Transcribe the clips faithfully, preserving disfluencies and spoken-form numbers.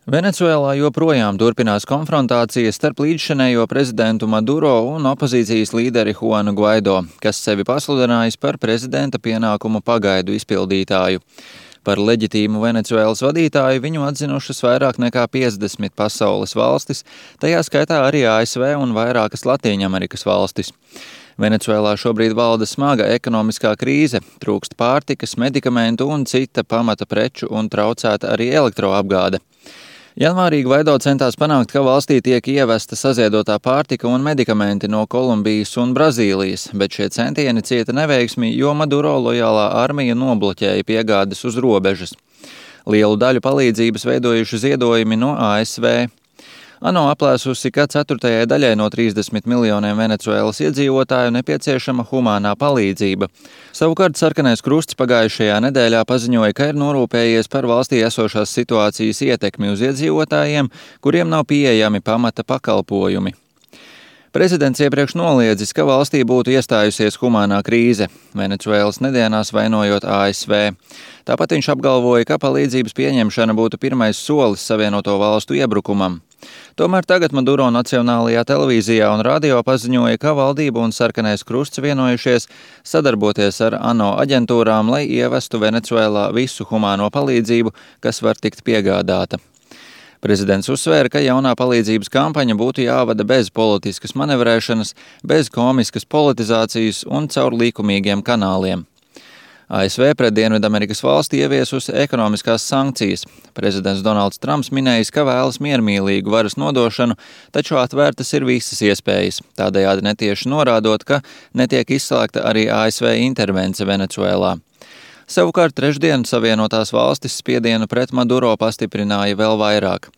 Venecuēlā joprojām turpinās konfrontācijas starp līdzšinējo prezidentu Maduro un opozīcijas līderi Juanu Guaido, kas sevi pasludinājis par prezidenta pienākumu pagaidu izpildītāju. Par leģitīmu Venecuēlas vadītāju viņu atzinušas vairāk nekā piecdesmit pasaules valstis, tajā skaitā arī A S V un vairākas Latīņamerikas valstis. Venecuēlā šobrīd valda smaga ekonomiskā krīze, trūkst pārtikas, medikamentu un cita pamata preču un traucēta arī elektroapgāde. Janvārī Guaido centās panākt, ka valstī tiek ievesta saziedotā pārtika un medikamenti no Kolumbijas un Brazīlijas, bet šie centieni cieta neveiksmi, jo Maduro lojālā armija nobloķēja piegādes uz robežas. Lielu daļu palīdzības veidojuši ziedojumi no A S V. ANO aplēsusi, ka ceturtajai daļai no trīsdesmit miljoniem Venecuēlas iedzīvotāju nepieciešama humānā palīdzība. Savukārt Sarkanais krusts pagājušajā nedēļā paziņoja, ka ir norūpējies par valstī esošās situācijas ietekmi uz iedzīvotājiem, kuriem nav pieejami pamata pakalpojumi. Prezidents iepriekš noliedzis, ka valstī būtu iestājusies humānā krīze, Venecuēlas nedienās vainojot A S V. Tāpat viņš apgalvoja, ka palīdzības pieņemšana būtu pirmais solis Savienoto valstu iebrukumam. Tomēr tagad Maduro Nacionālajā televīzijā un radio paziņoja, ka valdība un Sarkanais krusts vienojušies sadarboties ar ANO aģentūrām, lai ievestu Venecuēlā visu humāno palīdzību, kas var tikt piegādāta. Prezidents uzsvēra, ka jaunā palīdzības kampaņa būtu jāvada bez politiskas manevrēšanas, bez komiskas politizācijas un caur likumīgiem kanāliem. A S V pret Dienvidamerikas valsti ieviesusi ekonomiskās sankcijas. Prezidents Donalds Trumps minējis, ka vēlas miermīlīgu varas nodošanu, taču atvērtas ir visas iespējas, tādējādi netieši norādot, ka netiek izslēgta arī A S V intervence Venecuēlā. Savukārt trešdien Savienotās valstis spiedienu pret Maduro pastiprināja vēl vairāk.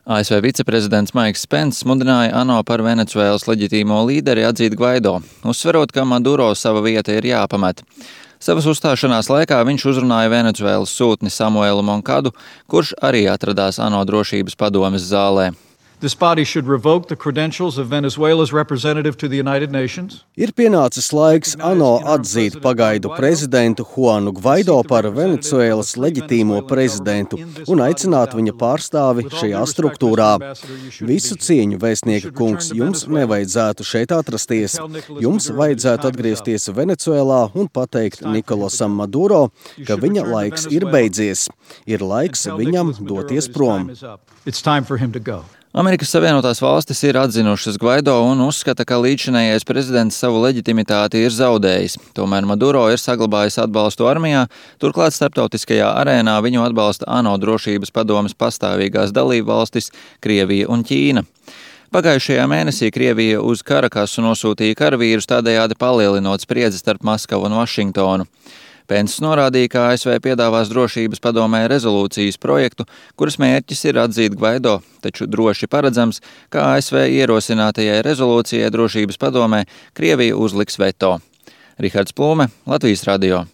A S V viceprezidents Maiks Pence mudināja ANO par Venecuēlas leģitīmo līderi atzīt Guaido, uzsverot, ka Maduro sava vieta ir jāpamet. Savas uzstāšanās laikā viņš uzrunāja Venecuēlas sūtni Samuelu Monkadu, kurš arī atradās ANO drošības padomes zālē. This body should revoke the credentials of Venezuela's representative to the United Nations. Ir pienācis laiks ANO atzīt pagaidu prezidentu Juanu Guaido par Venecuēlas leģitīmo prezidentu un aicināt viņa pārstāvi šajā struktūrā. Visu cieņu, vēstnieka kungs, jums nevajadzētu šeit atrasties. Jums vajadzētu atgriezties Venecuēlā un pateikt Nikolasam Maduro, ka viņa laiks ir beidzies. Ir laiks viņam doties prom. It's time for him to go. Amerikas Savienotās valstis ir atzinušas Guaido un uzskata, ka līdzšinējais prezidents savu leģitimitāti ir zaudējis. Tomēr Maduro ir saglabājis atbalstu armijā, turklāt starptautiskajā arēnā viņu atbalsta ANO drošības padomes pastāvīgās dalībvalstis Krievija un Ķīna. Pagājušajā mēnesī Krievija uz Karakasu nosūtīja karavīrus, tādējādi palielinot spriedzi starp Maskavu un Vašingtonu. Pence norādīja, ka A S V piedāvās drošības padomē rezolūcijas projektu, kuras mērķis ir atzīt Guaido, taču droši paredzams, ka A S V ierosinātajai rezolūcijai drošības padomē Krievija uzliks veto. Rihards Plūme, Latvijas radio.